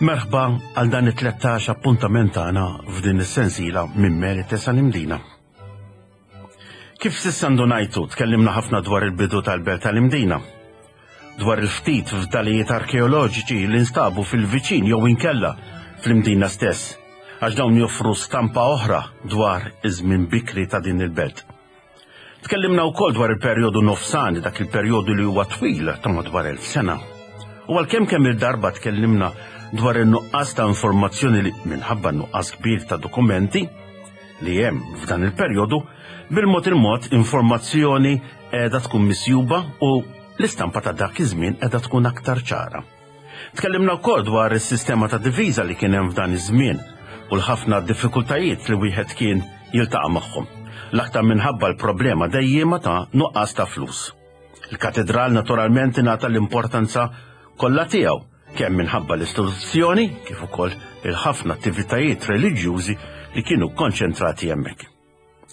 Merħba għal dan it-13 appuntament tagħna f'din is-sensiela minn Merite sal-Imdina. Kif s'issa ndunajtu, tkellimna ħafna dwar il-bidu tal-belt tal-Imdina, dwar il-ftit fdalijiet arkeoloġiċi li nstabu fil-viċin jew inkella fl-Imdina stess, għax dawn joffru stampa oħra dwar iż-żmien bikri ta' din il-belt. Tkellimna wkoll dwar il-perjodu nofsani, dak il-perjodu li huwa twil ta' madwar 1000 sena. U għalkemm kemm il-darba tkellimna dwar in-nuqqas ta' informazzjoni li minħabba nuqqas kbir ta' dokumenti, li hemm f'dan il-perjodu, bil-mod il-mod informazzjoni qiegħda tkun misjuba u l-istampa ta' dak iż-żmien qiegħda tkun aktar ċara. Tkellimna wkoll dwar is-sistema ta' diviża li kien hemm f'dan iż-żmien u l-ħafna diffikultajiet li wieħed kien jiltaqa' magħhom, l-aktar minħabba l-problema dejjiema ta' nuqqas ta' flus. Il-katedral naturalment ingħata l-importanza kollha tiegħu kemm minħabba l-istituzzjoni kif ukoll il-ħafna attivitajiet reliġjużi li kienu konċentrati hemmhekk.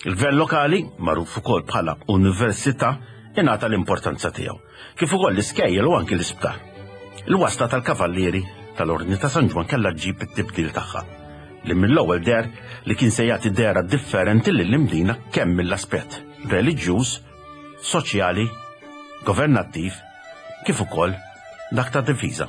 Il-gvern lokali, magħruf ukoll bħala università, ingħata l-importanza tiegħu, kif ukoll l-iskejjel u anki l-isptar. Il-wasla tal-kavallieri tal-Ordni ta' San Ġwann kellha ġġib it-tibdil tagħha, li mill-ewwel deher li kien se jagħti dehra differenti lill-Imdina kemm mill-aspett reliġjuż, soċjali, governattiv kif ukoll dak ta' difiża.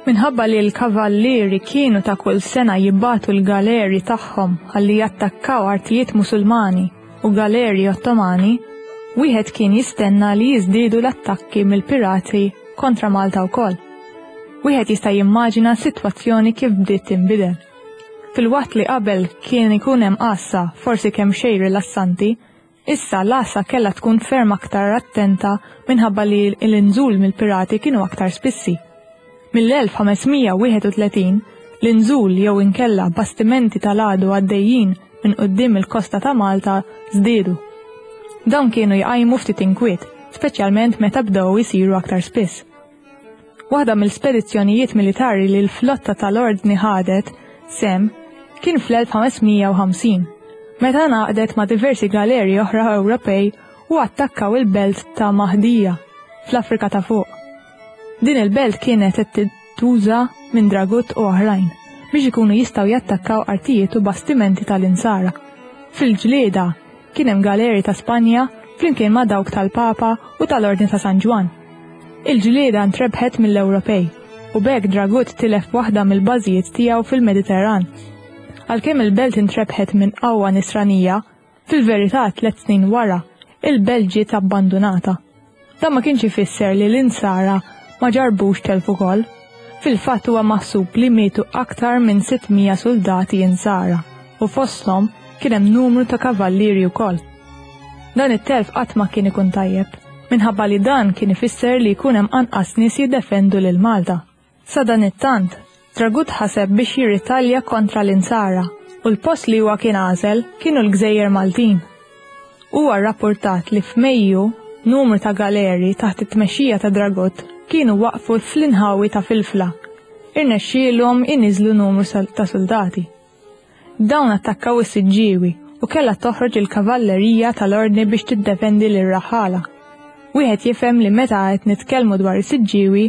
Minħabba li l-kavallieri kienu ta' kull sena jibagħtu l-galeri tagħhom ħalli jattakkaw artijiet Musulmani u galeri Ottomani, wieħed kien jistenna li jiżdiedu l-attakki mill-pirati kontra Malta wkoll. Wieħed jista' jimmaġina s-sitwazzjoni kif bdiet tinbidel. Filwaqt li qabel kien ikun hemm għassa forsi kemxejn rilassanti, issa l-għassa kellha tkun ferm aktar attenta minħabba li l-inżul mill-pirati kienu aktar spissi. Mill-1531, l-inżul jew inkella bastimenti tal-għadu għaddejjin minn quddiem il-kosta ta' Malta żdiedu. Dawn kienu jqajmu ftit inkwiet, speċjalment meta bdew isiru aktar spiss. Waħda mill-spedizzjonijiet militari li l-flotta tal-Ordni ħadet sehem kien fl-1550, meta ngħaqdet ma' diversi galeri oħra Ewropej u attakkaw il-belt ta' Mahdija, fl-Afrika ta' Fuq. Din il-belt kienet qed tintuża minn Dragut u oħrajn biex ikunu jistgħu jattakkaw artijiet u bastimenti tal-Insara. Fil-ġlieda, Kien hemm galeri ta' Spanja flimkien ma' dawk tal-Papa u tal-Ordni ta' San Ġwann. Il-ġlieda ntrebħet mill-Ewropej u b'hekk Dragut tilef waħda mill-bażijiet tiegħu fil-Mediterran. Għalkemm il-belt intrebħet minn qawwa Nisranija, fil-verità tlett snin wara, il-belt ġiet abbandunata. Dan ma kienx ifisser li l-Insara ma ġarrbux telf ukoll. Fil-fatt huwa maħsub li mietu aktar minn 600 suldati Insara u fosthom kien hemm numru ta' kavallieri wkoll. Dan it-telf qatt ma kien ikun tajjeb, minħabba li dan kien ifisser li jkun hemm anqas nies jiddefendu lil Malta. Sadanittant, Dragut ħaseb biex jirritalja kontra l-Insara u l-post li huwa kien għażel kienu l-gżejjer Maltin. Huwa rrappurtat li f'Mejju numru ta' galeri taħt it-tmexxija ta' Dragut kienu waqfu fl-inħawi ta' Filfla. Irnexxielhom iniżżlu numru ta' suldati. Dawn attakkaw is-Siġġiewi u kellha toħroġ il-kavallerija tal-Ordni biex tiddefendi lir-raħħala. Wieħed jifhem li meta qed nitkellmu dwar is-Siġġiewi,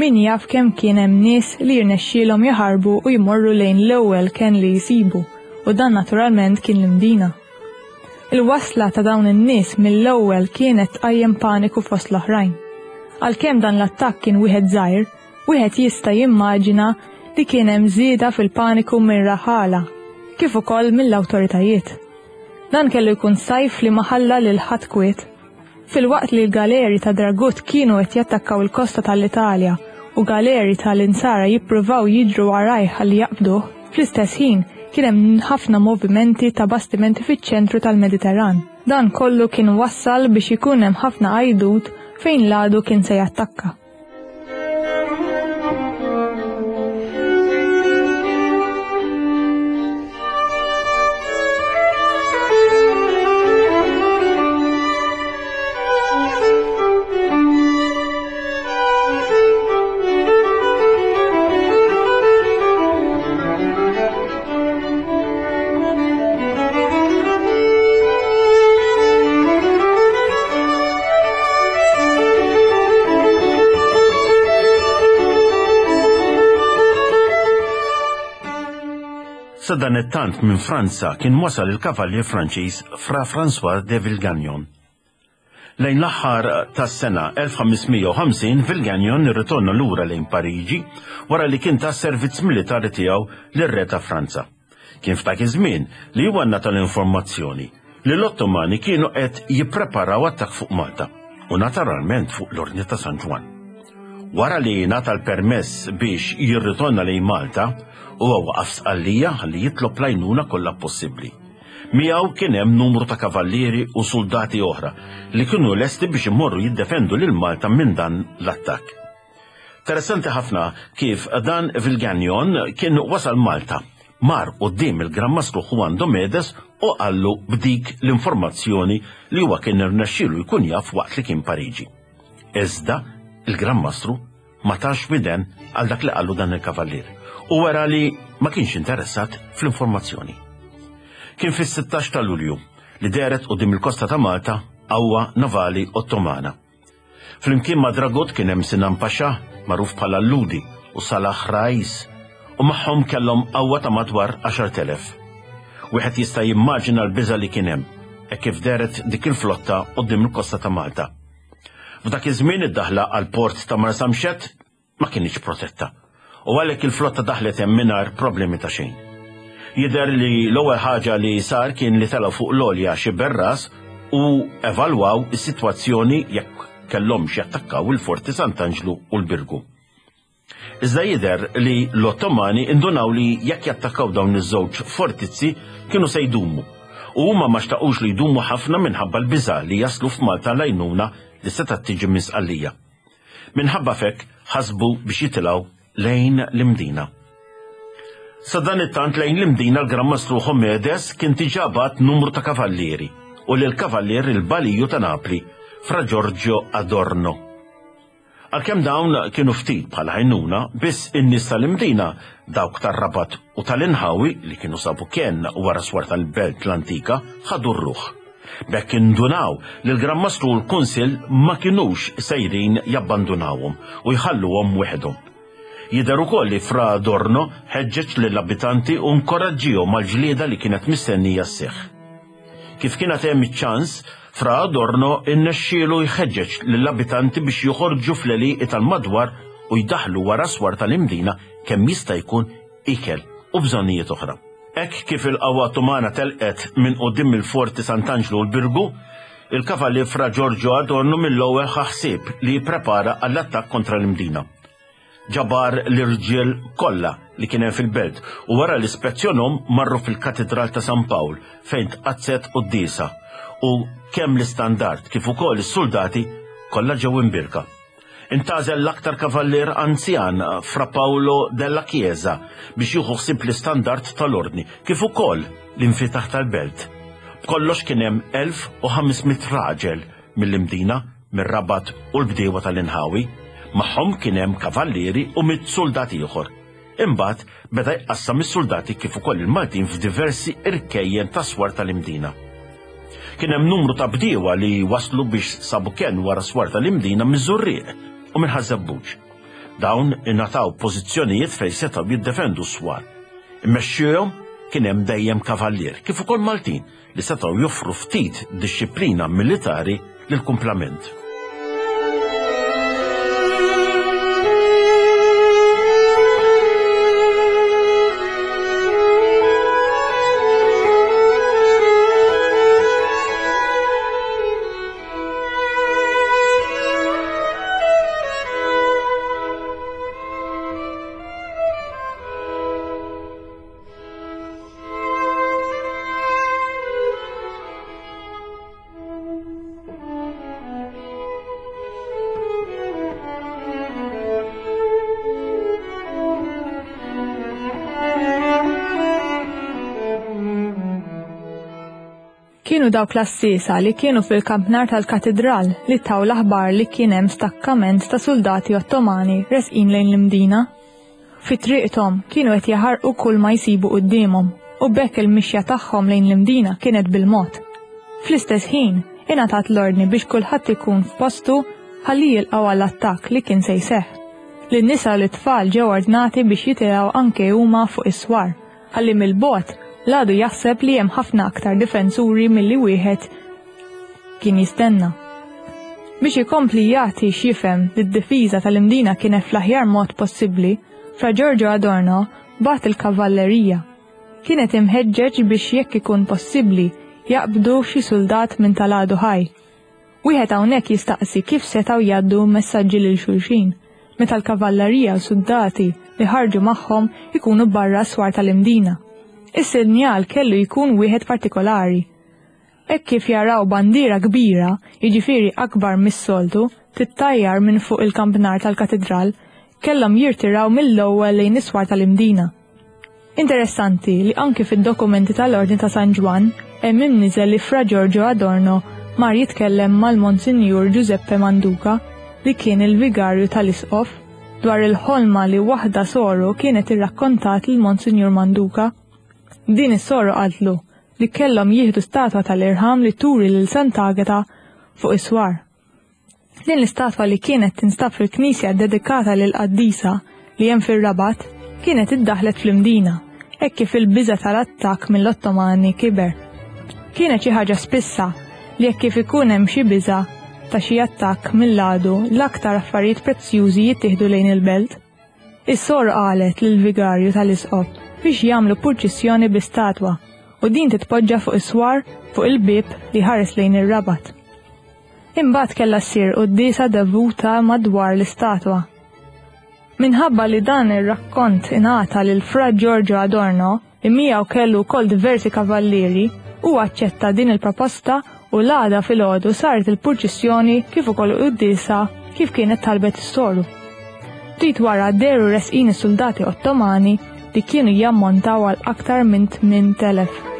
min jaf kemm kien hemm nies li jirnexxielhom jaħarbu u jmorru lejn l-ewwel kenn li jsibu, u dan naturalment kien l-Imdina. Il-wasla ta' dawn in-nies mill-ewwel kienet tqajjem paniku fost l-oħrajn. Għalkemm dan l-attakk kien wieħed żgħir, Wieħed jista' jimmaġina li kien hemm żieda fil-paniku mir-raħħala, kif ukoll mill-awtoritajiet. Dan kellu jkun sajf li ma ħalla lil ħadd kwiet. Filwaqt li l-galeri ta' Dragut kienu qed jattakkaw il-kosta tal-Italja u galeri tal-Insara jippruvaw jiġru warajh ħalli jaqbduh, fl-istess ħin kien hemm ħafna movimenti ta' bastimenti fiċ-ċentru tal-Mediterran. Dan kollu kien wassal biex ikun hemm ħafna għajdut fejn l-għadu kien se jattakka. Sadanittant minn Franza kien wasal il-kavallier Franċiż Fra François de Villegagnon. Lejn l-aħħar tas-sena 1550 Villegagnon irritorna lura lejn Pariġi wara li kien ta s-servizz militari tiegħu lir-re ta' Franza. Kien f'dak iż-żmien li huwa ngħata l-informazzjoni li l-Ottomani kienu qed jippreparaw attakk fuq Malta u naturalment fuq l-Ordni ta' San Ġwann. Wara li ngħata l-permess biex jirritorna lejn Malta, huwa waqaf Sqallija ħalli jitlob l-għajnuna kollha possibbli. Miegħu kien hemm numru ta' kavallieri u suldati oħra li kienu lesti biex imorru jiddefendu lil Malta minn dan l-attakk. Interessanti ħafna kif dan Villegagnon kien wasal Malta, mar quddiem il-Gran Mastru Juan Domedes u qallu b'dik l-informazzjoni li huwa kien irnexxielu jkun jaf waqt li kien Pariġi. Iżda il-Gran Mastru ma tax widen għal dak li qallu dan il-kavallier u wera li ma kienx interessat fl-informazzjoni. Kien fis-16 ta' Lulju li dehret quddiem il-kosta ta' Malta qawwa navali Ottomana. Flimkien ma' Dragut kien hemm Sinan Pasha, magħruf bħala l-Lhudi, u Salah Rais, u magħhom kellhom qawwa ta' madwar 10,000. Wieħed jista' jimmaġina l-biża' li kien hemm, hekk kif dehret dik il-flotta quddiem il-kosta ta' Malta. F'dak iż-żmien id-daħla għall-port ta' Marsamxett ma kinitx protetta u għalhekk il-flotta daħlet hemm mingħajr problemi ta' xejn. Jidher li l-ewwel ħaġa li sar kien li telgħu fuq l-għolja Xiberras u evalwaw is-sitwazzjoni jekk kellhomx jattakkaw il-Forti Sant'Anġlu u l-Birgu. Iżda jidher li l-Ottomani indunaw li jekk jattakkaw dawn iż-żewġ fortizzi kienu se jdumu u huma ma xtaqux li jdumu ħafna minħabba l-biża' li jaslu f'Malta l-għajnuna li setgħet tiġi minn Sqallija. Minħabba f'hekk ħasbu biex jitilgħu lejn l-Imdina. Sadanittant lejn l-Imdina l-Gran Mastru Homedes kien diġà bagħat numru ta' kavallieri u lill-kavallier il-Baliju ta' Napli, Fra Giorgio Adorno. Għalkemm dawn kienu ftit bħala għajnuna, biss in-nies tal-Imdina, dawk tar-Rabat u tal-inħawi li kienu sabu kenn wara swar tal-belt l-antika, ħadu r-ruħ. B'hekk indunaw li l-Gran Mastru u l-Kunsill ma kinux sejrin jabbandunawhom u jħalluhom weħidhom. Jidher ukoll li Fra Adorno ħeġġeġ lill-abitanti u nkoraġġihom għall-ġlieda li kienet mistennija sseħħ. Kif kien għad hemm iċ-ċans, Fra Adorno rnexxielu jħeġġeġ lill-abitanti biex joħorġu fl-għelieqi tal-madwar u jdaħħlu wara s-swar tal-Imdina kemm jista' jkun ikel u bżonnijiet oħra. Hekk kif il-qawwa Ottomana telqet minn quddiem il-Forti Sant'Anġlu u l-Birgu, il-Kavallier Fra Giorgio Adorno mill-ewwel ħa ħsieb li jipprepara għall-attakk kontra l-Imdina. Ġabar l-irġiel kollha li kien hemm fil-belt u wara li spezzjonhom marru fil-Katidral ta' San Pawl fejn tqaddset quddiesa u kemm l-istandard kif ukoll is-suldati kollha ġew imbierka. Intgħażel l-aktar kavallier anzjan, Fra Paolo della Chiesa, biex jieħu ħsieb l-istandard tal-Ordni, kif ukoll l-infitaħ tal-belt. B'kollox kien hemm 1,500 raġel mill-Imdina, mir-Rabat u l-bdiewa tal-inħawi. Magħhom kien hemm kavallieri u mitt suldat ieħor. Imbagħad beda jqassam is-suldati kif ukoll il-Maltin f'diversi irkejjen tas-swar tal-Imdina. Kien hemm numru ta' bdiewa li waslu biex sabu kenn wara s-swar tal-Imdina miż-Żurrieq u minn Ħaż-Żebbuġ. Dawn ingħataw pożizzjonijiet fejn setgħu jiddefendu s-swar. Imexxihom kien hemm dejjem kavallier, kif ukoll Maltin li setgħu joffru ftit dixxiplina militari lill-kumplament. Kienu dawk l-għassiesa li kienu fil-kampnar tal-katidral li taw l-aħbar li kien hemm stakkament ta' suldati Ottomani resqin lejn l-Imdina. Fi triqthom kienu qed jaħarqu kull ma jsibu quddiemhom u b'hekk il-mixja tagħhom lejn l-Imdina kienet bil-mod. Fl-istess ħin, ingħatat l-ordni biex kulħadd ikun f'postu ħalli jilqgħu għall-attakk li kien se jseħħ. Lin-nisa u lit-tfal ġew ordnati biex jitilgħu anke huma fuq is-swar. ħalli mill-bogħod l-għadu jaħseb li hemm ħafna aktar difensuri milli wieħed kien jistenna. Biex ikompli jagħti x'jifhem li d-difiża tal-Imdina kienet fl-aħjar mod possibbli, Fra Giorgio Adorno bagħat il-kavallerija. Kienet imħeġġeġ biex jekk ikun possibbli jaqbdu xi suldat minn tal-għadu ħaj. Wieħed hawnhekk jistaqsi kif setgħu jgħaddu messaġġi lil xulxin, meta l-kavallerija u suldati li ħarġu magħhom ikunu barra s-swar tal-Imdina. Is-sinjal kellu jkun wieħed partikolari. Hekk kif jaraw bandiera kbira, jiġifieri akbar mis-soltu, tittajjar minn fuq il-kampnar tal-katidral, kellhom jirtiraw mill-ewwel lejn is-swar tal-Imdina. Interessanti li anki fid-dokumenti tal-Ordni ta' San Ġwann hemm imniżel li Fra Giorgio Adorno mar jitkellem mal-Monsinjur Giuseppe Manduca li kien il-vigarju tal-Isqof dwar il-ħolma li waħda soru kienet irrakkontat lil Monsinjur Manduca. Din is-soru qaltlu li kellhom jieħdu statwa tal-irħam li turi lil Sant'Agata fuq is-swar. Din l-istatwa li kienet tinstab fil-knisja ddedikata lill-qaddisa li hemm fir-Rabat kienet iddaħħlet fl-Imdina hekk kif il-biża' tal-attakk mill-Ottomani kiber. Kienet xi ħaġa spissa li hekk kif ikun hemm xi biża' ta' xi attakk mill-għadu l-aktar affarijiet prezzjużi jittieħdu lejn il-belt. Is-soru qalet lill-vigarju tal-isqof biex jagħmlu purċissjoni bl-istatwa u din titpoġġa fuq is-swar fuq il-bieb li jħares lejn ir-Rabat. Imbagħad kellha ssir quddiesa devuta madwar l-istatwa. Minħabba li dan ir-rakkont ingħata lil Fra Giorgio Adorno, li miegħu kellu wkoll diversi kavallieri, hu aċċetta din il-proposta u l-għada filgħodu saret il-purċissjoni kif ukoll quddiesa kif kienet talbet is-soru. Ftit wara dehru resqin is-suldati Ottomani li kienu jammontaw għal aktar minn 8,000.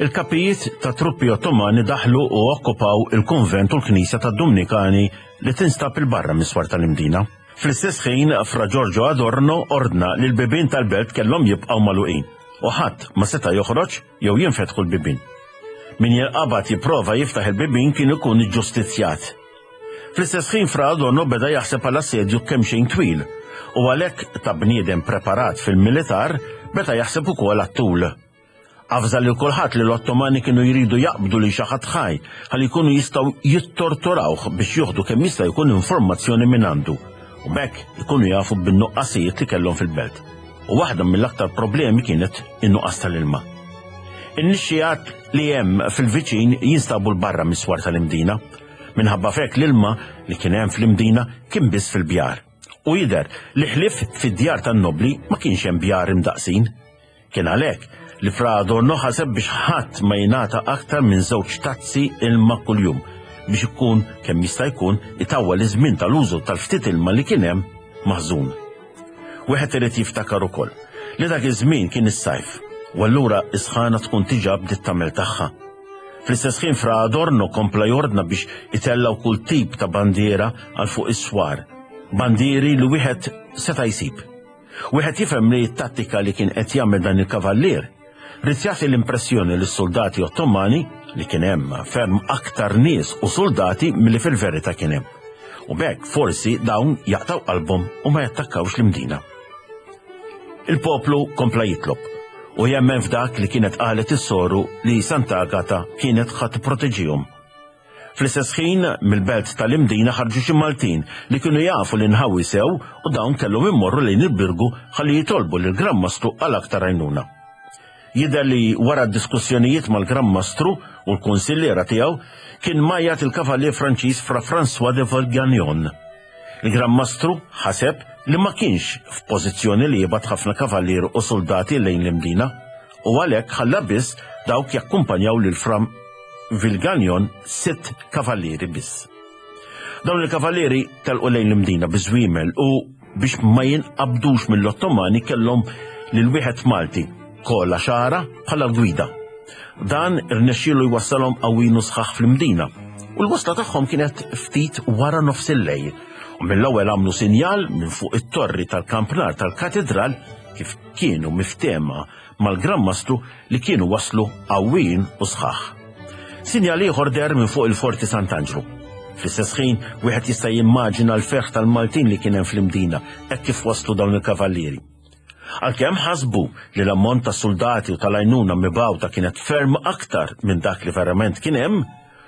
Il-kapijiet ta' truppi Ottomani daħlu u okkupaw il-kunvent u l-knisja tad-Dumnikani li tinstab il-barra mis-swar tal-Imdina. Fl-istess ħin, Fra Giorgio Adorno ordna li l-bibien tal-belt kellhom jibqgħu magħluqin u ħadd ma seta' joħroġ jew jinfetħu l-bibien. Min jinqabad jipprova jiftaħ il-bibien kien ikun iġġustizzjat. Fl-istess ħin Fra Adorno beda jaħseb għal assedju kemxejn twil u għalhekk ta' bniedem preparat fil-militar beda jaħseb ukoll għat-tul. Avża lil kulħadd li l-Ottomani kienu jridu jaqbdu lil xi ħadd ħaj ħalli jkunu jistgħu jittorturawh biex jieħdu kemm jista' jkun informazzjoni mingħandu u b'hekk ikunu jafu bin-nuqqasijiet li kellhom fil-belt. U waħda mill-aktar problemi kienet in-nuqqas tal-ilma. In-nixxigħat li hemm fil-viċin jinstabu 'l barra mis-swar tal-Imdina. Minħabba f'hekk l-ilma li kien hemm fl-Imdina kien biss fil-bjar. U jidher li ħlief fid-djar tan-nobbli ma kienx hemm bjar imdaqqsin. Kien għalhekk li Fra Adorno ħaseb biex ħadd ma jingħata aktar minn żewġ tazzi ilma kuljum biex ikun kemm jista' jkun itawwal iż-żmien tal-użu tal-ftit ilma li kien hemm maħżun. Wieħed irid jiftakar ukoll li dak iż-żmien kien is-sajf u allura s-sħana tkun diġà bdiet tagħmel tagħha. Fl-istess ħin Fra Adorno kompla jordna biex itellgħu kull tip ta' bandiera għal fuq is-swar, bandieri li wieħed seta' jsib. Wieħed jifhem li t-tattika li kien qed jagħmel dan il-kavallier ried jagħti l-impressjoni lis-suldati Ottomani li kien hemm ferm aktar nies u suldati milli fil-verità kien hemm. U b'hekk forsi dawn jaqtgħu qalbhom u ma jattakkawx l-Imdina. Il-poplu kompla jitlob u jemmen f'dak li kienet qalet is-soru li Sant'Agata kienet ħa tipproteġihom. Fl-istess ħin, mill-belt tal-Imdina ħarġu xi Maltin li kienu jafu l-inħawi sew u dawn kellhom immorru lejn il-Birgu ħalli jitolbu lill-Gran Mastru għal aktar għajnuna. Jidher li wara diskussjonijiet mal-Gran Mastru u l-kunsilliera tiegħu kien mgħajjat il-Kavallier Franċiż Fra François de Vaugaignon. Il-Gran Mastru ħaseb li ma kienx f'pożizzjoni li jibgħat ħafna kavallieri u suldati lejn l-Imdina u għalhekk ħalla biss dawk jakkumpanjaw lil Fra. Vilganjon sitt kavallieri biss. Dawn il-kavallieri telqu lejn l-Imdina biż-żwiemel u biex ma jinqabdux mill-Ottomani kellhom lil wieħed Malti, Kola Xara, bħala l-gwida. Dan irnexxielu jwassalhom qawwin u sħaħ fl-Imdina u l-wasla tagħhom kienet ftit wara nofs il-lejl u mill-ewwel għamlu sinjal minn fuq it-torri tal-kampnar tal-katidral kif kienu miftehma mal-Gran Mastru li kienu waslu qawwijin u sħaħ. Sinjal ieħor deher minn fuq il-Forti Sant'Anġlu. Fl-istess ħin, wieħed jista' jimmaġina l-ferħ tal-Maltin li kien hemm fl-Imdina hekk kif waslu dawn il-kavallieri. Għalkemm ħasbu li l-ammont ta' suldati u tal-għajnuna mibgħuta kienet ferm aktar minn dak li verament kien hemm,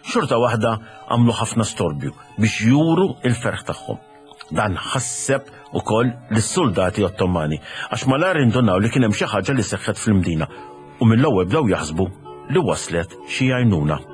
xorta waħda għamlu ħafna storbju biex juru l-ferħ tagħhom. Dan ħasseb ukoll lis-suldati Ottomani għax malajr indunaw li kien hemm xi ħaġa li seħħet fl-Imdina u mill-ewwel bdew jaħsbu li waslet xi għajnuna.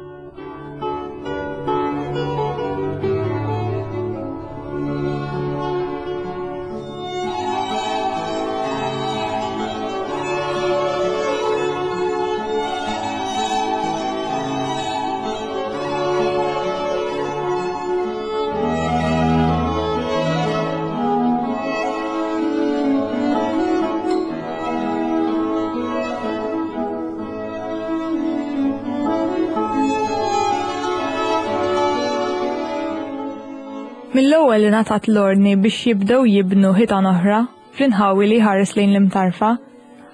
Mill-ewwel ingħatat l-ordni biex jibdew jibnu ħitan oħra fl-inħawi li jħares lejn l-Imtarfa,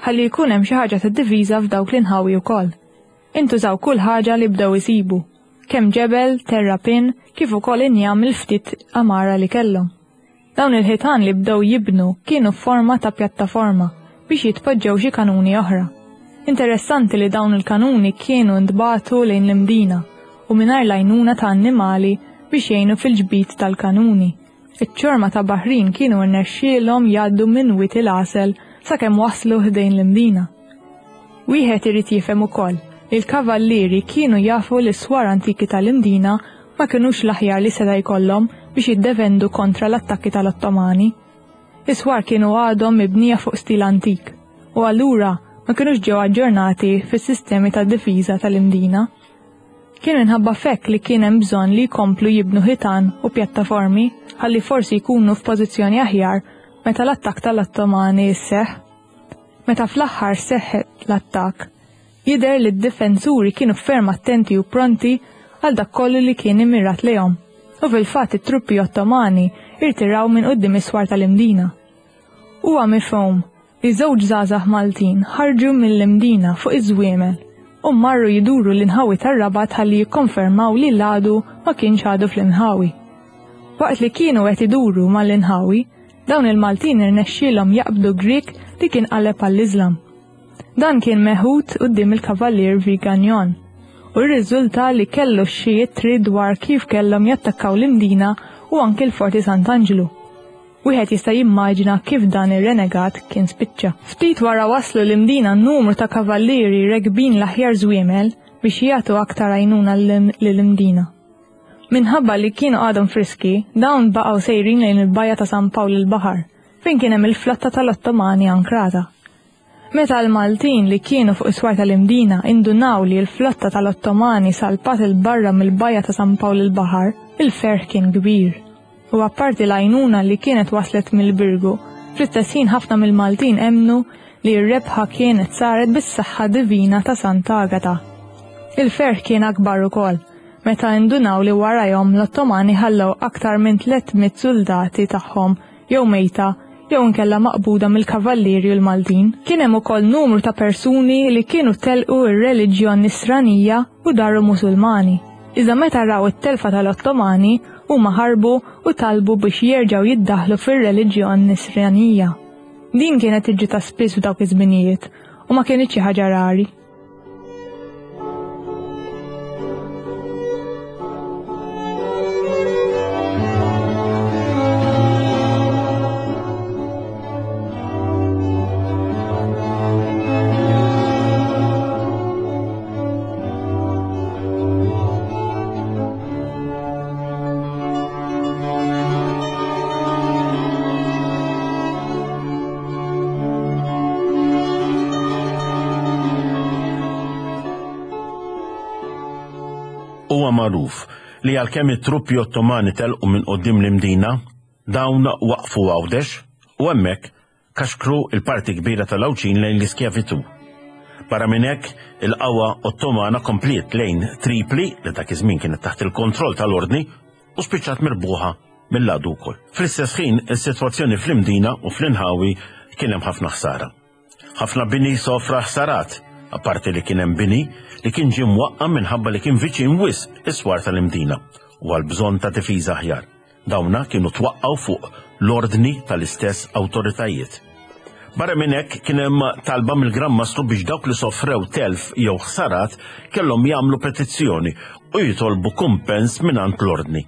ħalli jkun hemm xi ħaġa ta' diviża f'dawk l-inħawi wkoll. Intużaw kull ħaġa li bdew isibu, kemm ġebel, terrapien, kif ukoll injam mill-ftit għamara li kellhom. Dawn il-ħitan li bdew jibnu kienu f'forma ta' pjattaforma biex jitpoġġew xi kanuni oħra. Interessanti li dawn il-kanuni kienu ntbagħtu lejn l-Imdina u mingħajr l-għajnuna ta' annimali biex jgħinu fil-ġbid tal-kanuni. Iċ-ċorma ta' baħrin kienu rnexxielhom jgħaddu minn Wied il-Għasel sakemm waslu ħdejn l-Imdina. Wieħed irid jifhem ukoll li l-kavallieri kienu jafu li s-swar antiki tal-Imdina ma kinux l-aħjar li seta' jkollhom biex jiddefendu kontra l-attakki tal-Ottomani. Is-swar kienu għadhom mibnija fuq stil antik u allura ma kinux ġew aġġornati fis-sistemi ta' difiża tal-Imdina. Kien minħabba f'hekk li kien hemm bżonn li jkomplu jibnu ħitan u pjattaformi ħalli forsi jkunu f'pożizzjoni aħjar meta l-attakk tal-Ottomani sseħħ. Meta fl-aħħar seħħet l-attakk, jidher li d-difensuri kienu ferm attenti u pronti għal dak kollu li kien immirat lejhom, u fil-fatt it-truppi Ottomani irtiraw minn quddiem is-swar tal-Imdina. Huwa mifhum li żewġ żgħażagħ Maltin ħarġu mill-Imdina fuq iż-żwiemel u marru jduru l-inħawi tar-Rabat ħalli jikkonfermaw li l-għadu ma kienx għadu fl-inħawi. Waqt li kienu qed iduru mal-inħawi, dawn il-Maltin irnexxielhom jaqbdu Grieg li kien qaleb għall-Iżlam. Dan kien meħud quddiem il-Kavallier Viganjon u rriżulta li kellu xi ittri dwar kif kellhom jattakkaw l-Imdina u anki l-Forti Sant'Anġlu. Wieħed jista' jimmaġina kif dan ir-renegat kien spiċċa. Ftit wara waslu l-Imdina numru ta' kavallieri rekbin l-aħjar żwiemel biex jagħtu aktar għajnuna lill-Imdina. Minħabba li kienu għadhom friski, dawn baqgħu sejrin lejn il-bajja ta' San Pawl il-Baħar, fejn kien hemm il-flotta tal-Ottomani ankrata. Meta l-Maltin li kienu fuq is-swar tal-Imdina indunaw li l-flotta tal-Ottomani salpat 'il barra mill-bajja ta' San Pawl il-Baħar, il-ferħ kien kbir. U apparti l-għajnuna li kienet waslet mill-Birgu, fl-istess ħin ħafna mill-Maltin emmnu li r-rebħa kienet saret bis-saħħa divina ta' Sant'Agata. Il-ferħ kien akbar ukoll meta indunaw li warajhom l-Ottomani ħallew aktar minn 300 suldati tagħhom jew mejta jew inkella maqbuda mill-Kavallieri u l-Maltin. Kien hemm ukoll numru ta' persuni li kienu telqu r-reliġjon Nisranija u daru Musulmani. Iżda meta raw it-telfa tal-Ottomani, huma ħarbu u talbu biex jerġgħu jiddaħħlu fir-reliġjon Nisranija. Din kienet tiġri ta' spiss f'dawk iż-żminijiet u ma kinitx xi ħaġa rari. Huwa magħruf li għalkemm it-truppi Ottomani telqu minn quddiem l-Imdina, dawn waqfu Għawdex u hemmhekk kaxkru l-parti kbira tal-Għawdxin lejn l-iskjavitù. Barra minn hekk, il-qawwa Ottomana kompliet lejn Tripli, li dak iż-żmien kienet taħt il-kontroll tal-Ordni, u spiċċat mirbuħa mill-għadu wkoll. Fl-istess ħin, is-sitwazzjoni fl-Imdina u fl-inħawi kien hemm ħafna ħsara. Ħafna bini sofra ħsarat, apparti li kien hemm bini li kien ġie mwaqqa' minħabba li kien viċin wisq is-swar tal-Imdina u għal bżonn ta' difiża aħjar. Dawna kienu twaqqgħu fuq l-ordni tal-istess awtoritajiet. Barra minn hekk kien hemm talba mill-Gran Mastru biex dawk li sofrew telf jew ħsarat kellhom jagħmlu petizzjoni u jitolbu kumpens mingħand l-Ordni.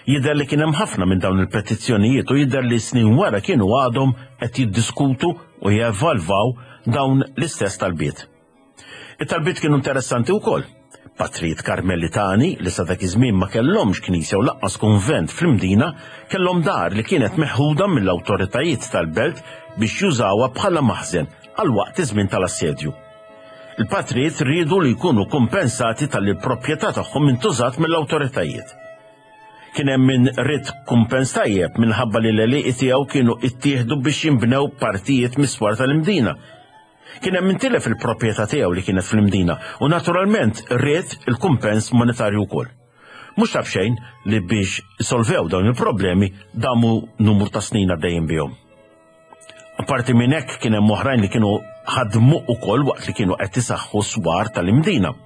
Jidher li kien hemm ħafna minn dawn il-petizzjonijiet u jidher li snin wara kienu għadhom qed jiddiskutu u jevalvaw dawn l-istess talbiet. It-talbiet kienu interessanti wkoll. Patrijiet Karmelitani li sa dak iż-żmien ma kellhomx knisja u lanqas kunvent fl-Imdina kellhom dar li kienet meħuda mill-awtoritajiet tal-belt biex jużawha bħala maħżen għal waqt iż-żmien tal-assedju. Il-patrijiet riedu li jkunu kumpensati talli l-proprjetà tagħhom intużat mill-awtoritajiet. Kien hemm min ried kumpens tajjeb minħabba li l-għelieqi tiegħu kienu ittieħdu biex jinbnew partijiet mis-swar tal-Imdina. Kien hemm min tilef il-proprjetà tiegħu li kienet fl-Imdina u naturalment ried il-kumpens monetarju wkoll. Mhux ta' b'xejn li biex isolvew dawn il-problemi damu numru ta' snin għaddejjin bihom. Apparti minn hekk kien hemm oħrajn li kienu ħadmu ukoll waqt li kienu qed isaħħu swar tal-Imdina.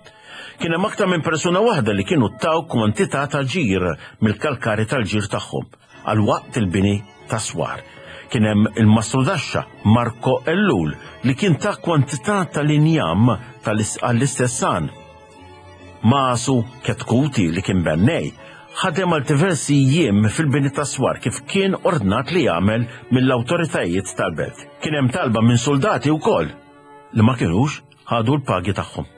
Kien hemm aktar minn persuna waħda li kienu taw kwantità ta' ġir mill-kalkari tal-ġir tagħhom. Għal waqt il-bini ta' swar. Kien hemm il-mastrudaxxa Marco Ellul li kien ta kwantità tal-injam għall-istess għan. Masu Ketkuti li kien bennej ħadem għal diversi jiem fil-bini ta' swar kif kien ordnat li jagħmel mill-awtoritajiet tal-belt. Kien hemm talba minn soldati wkoll li ma kinux ħadu l-pagi tagħhom.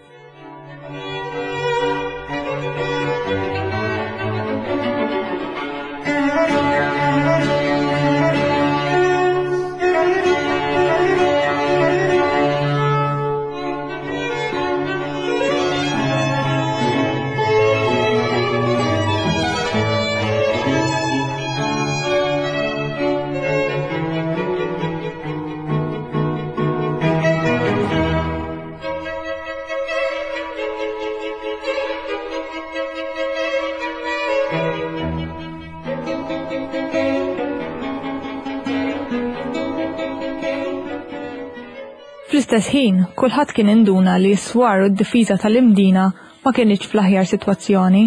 Fl-istess ħin, kulħadd kien induna li s-swar u d-difiża tal-Imdina ma kinitx fl-aħjar sitwazzjoni.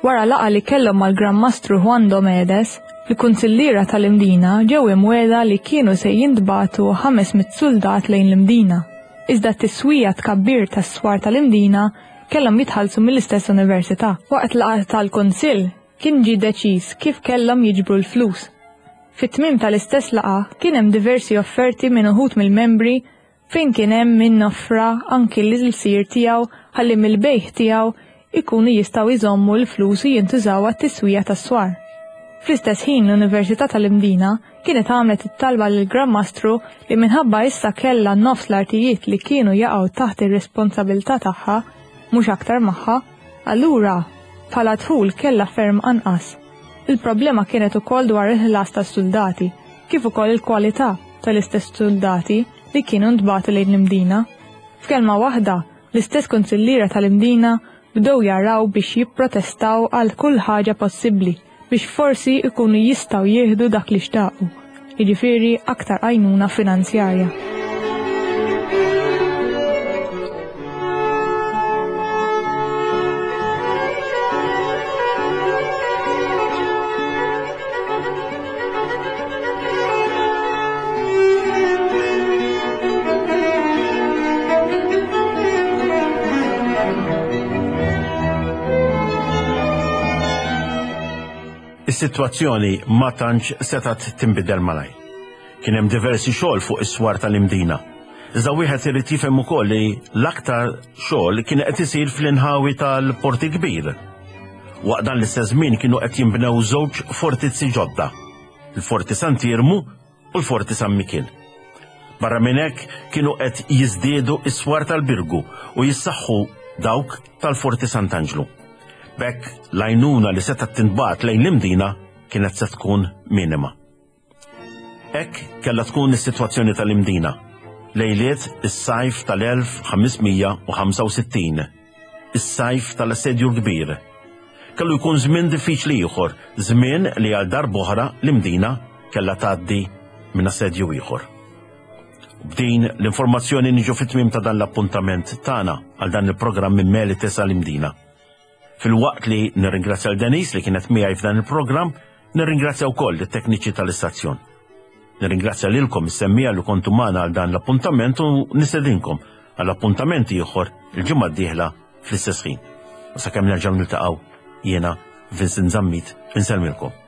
Wara laqgħa li kellhom mal-Gran Mastru Juan Domedes, il-kunsilliera tal-Imdina ġew imwiegħda li kienu se jintbagħtu 500 suldat lejn l-Imdina. Iżda t-tiswija tkabbir tas-swar tal-Imdina kellhom jitħallsu mill-istess università. Waqt laqgħa tal-Kunsill kien ġie deċiż kif kellhom jiġbru l-flus. Fit-tmiem tal-istess laqgħa kien hemm diversi offerti minn uħud mill-membri fejn kien hemm min offra anki l-ilsir tiegħu ħalli mill-bejgħ tiegħu jkunu jistgħu jżommu l-flus u jintużaw għat-tiswija tas-swar. Fl-istess ħin l-Università tal-Imdina kienet għamlet it-talba lill-Gran Mastru li minħabba issa kellha nofs l-artijiet li kienu jaqgħu taħt ir-responsabilità tagħha, mhux aktar magħha, allura bħala dħul kellha ferm anqas. Il-problema kienet ukoll dwar il-ħlas tas-suldati, kif ukoll il-kwalità tal-istess suldati li kienu ntbagħtu lejn l-Imdina. F'kelma waħda, l-istess kunsilliera tal-Imdina bdew jaraw biex jipprotestaw għal kull ħaġa possibbli biex forsi jkunu jistgħu jieħdu dak li xtaqu, jiġifieri aktar għajnuna finanzjarja. Is-sitwazzjoni ma tantx setgħet tinbidel malajr. Kien hemm diversi xogħol fuq is-swar tal-Imdina. Iżda wieħed irid jifhem ukoll li l-aktar xogħol kien qed isir fl-inħawi tal-Port il-Kbir. Waqt dan l-istess żmien kienu qed jinbnew żewġ fortizzi ġodda, il-Forti Sant'Iermu u l-Forti San Mikiel. Barra minn hekk kienu qed jiżdiedu s-swar tal-Birgu u jissaħħu dawk tal-Forti Sant'Anġlu. B'hekk l-għajnuna li setgħet tintbagħat lejn l-Imdina kienet se tkun minima. Hekk kellha tkun is-sitwazzjoni tal-Imdina lejliet is-sajf tal-1565, is-sajf tal-Assedju l-Kbir. Kellu jkun żmien diffiċli ieħor, żmien li għal darb'oħra l-Imdina kellha tgħaddi minn assedju ieħor. B'din l-informazzjoni niġu fit-tmiem ta' dan l-appuntament tagħna għal dan il-programm minn Melites għal Imdina. Filwaqt li nirringrazzja l Denise li kienet miegħi f'dan il-programm, nirringrazzja wkoll it-tekniċi tal-istazzjon. Nirringrazzja lilkom is-semmija li kontu magħna għal dan l-appuntament u nistedinkom għal appuntament ieħor il-ġimgħa d-dieħla fl-istess ħin. U sakemm nerġgħu niltaqgħu jiena Vincent Zammit insellmilkom.